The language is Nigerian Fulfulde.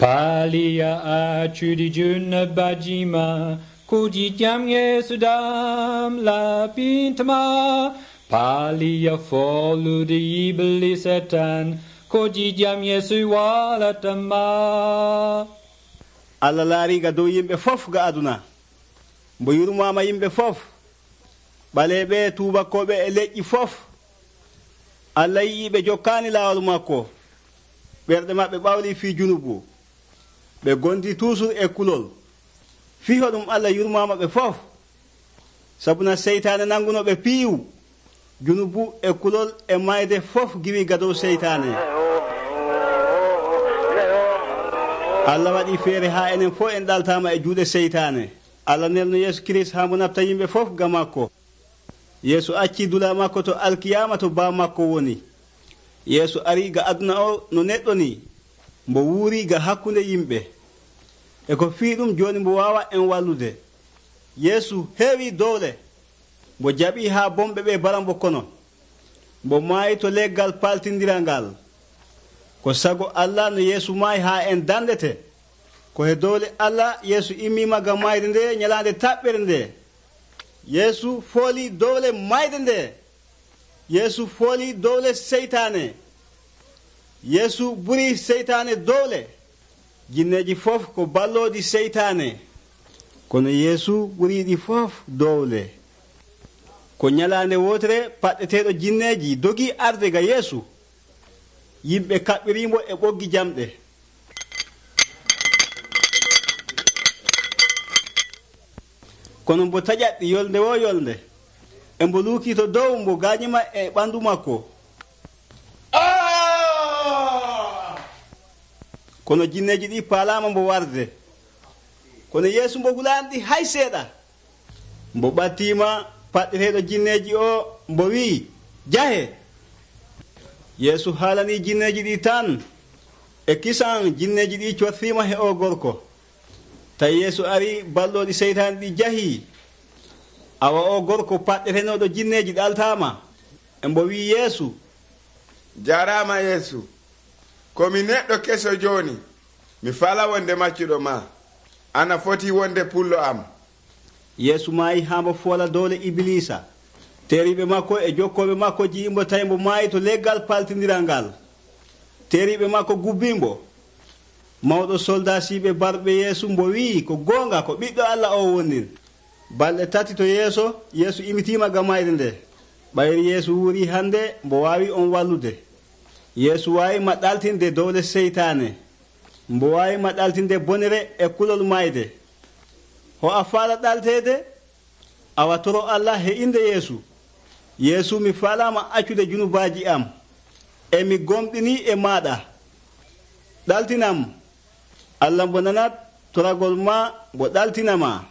Paaliya accude junnebaji ma, kuji jam Yeesu dam laɓintama. Paaliya follude yibli Satan, kuji jam Yeesu walatama. Allah laariga dow yimɓe fof ga aduna, mbo yurmama yimɓe fof, ɓaleɓe tubakoɓe e leƴƴi fof. Allah yi'iɓe jokkani laawol makko, ɓerɗe maɓɓe ɓawli fi junubu, ɓe gondi toujours e kulol. Fiho ɗum Allah yurmama ɓe fof, sabuna seytane nanguno ɓe piiwu, junubu e kulol e mayde fof giwi ga dow seytane. Allah waɗi feere ha enen fof en ɗaltama e juuɗe seytane. Allah nelno Yeesu Kirist ha mbo nafta yimɓe fof ga makko. Yeesu acci dula makko to alkiyama to ba makko woni. Yeesu ari ga aduna o no neɗɗo ni, mbo wuuri ga hakkunde yimɓe. E ko fii ɗum joni mbo wawa en wallude. Yeesu heewi dowle, mbo jaɓi ha bomɓe ɓe bara mbo kono. Mbo maayi to leggal paltindiral ngal. Ko sago Allah no Yeesu maayi ha en dandete. Ko he dowle Allah Yeesu immima gam mayde nde ñalande taɓɓere nde. Yeesu fooli dowle mayde nde. Yeesu fooli dowle seytane. Yeesu ɓuri seytane dowle. Jinneji fof ko ballodi seytane, kono Yeesu ɓuriɗi fof dowle. Ko ñalande wotere paɗɗeteɗo jinneji dogi arde ga Yeesu. Yimɓe kaɓɓirimo e ɓoggi jamɗe. Kono mbo taƴatɗi yolnde wo yolnde, e mbo luuki to dow mbo gañima e ɓandu makko. Kono jinneji ɗi paalama mbo warde. Kono Yeesu mbo hulanɗi hay seeɗa. Mbo ɓattima paɗɗeteɗo jinneji o mbo wi, jahe. Yeesu haalani jinneji ɗi tan, e kisan jinneji ɗi cottima he o gorko. Tawi Yeesu ari balloɗi seytane ɗi jahi. Awa o gorko paɗɗetenoɗo jinneji ɗaltama. E mbo wi Yeesu, jarama Yeesu, komi neɗɗo keso joni, mi fala wonde maccuɗo ma, ana foti wonde pullo am. Yeesu maayi ha mbo foola dowle Iblisa. Teriɓe makko e jokkoɓe makko jiimbo tawi mbo maayi to leggal paltidiral ngal. Teriɓe makko gubbimbo. Mawɗo soldasiɓe barɓe Yeesu mbo wi ko gonga ko ɓiɗɗo Allah o wonnin. Balɗe tati to yeeso Yeesu imitima ga mayde nde. Ɓayri Yeesu wuuri hande mbo wawi on wallude. Yeesu wawi maɗɗaltinde dowle seytane. Mbo wawi maɗɗaltinde bonere e kulol mayde. Ho a faala ɗaltede? Awa toro Allah he inde Yeesu. Yeesu mi faalama accude junubaji am. E mi gomɗini e maɗa. Ɗaltinam. Allah mbo nanat toragol ma mbo ɗaltinama.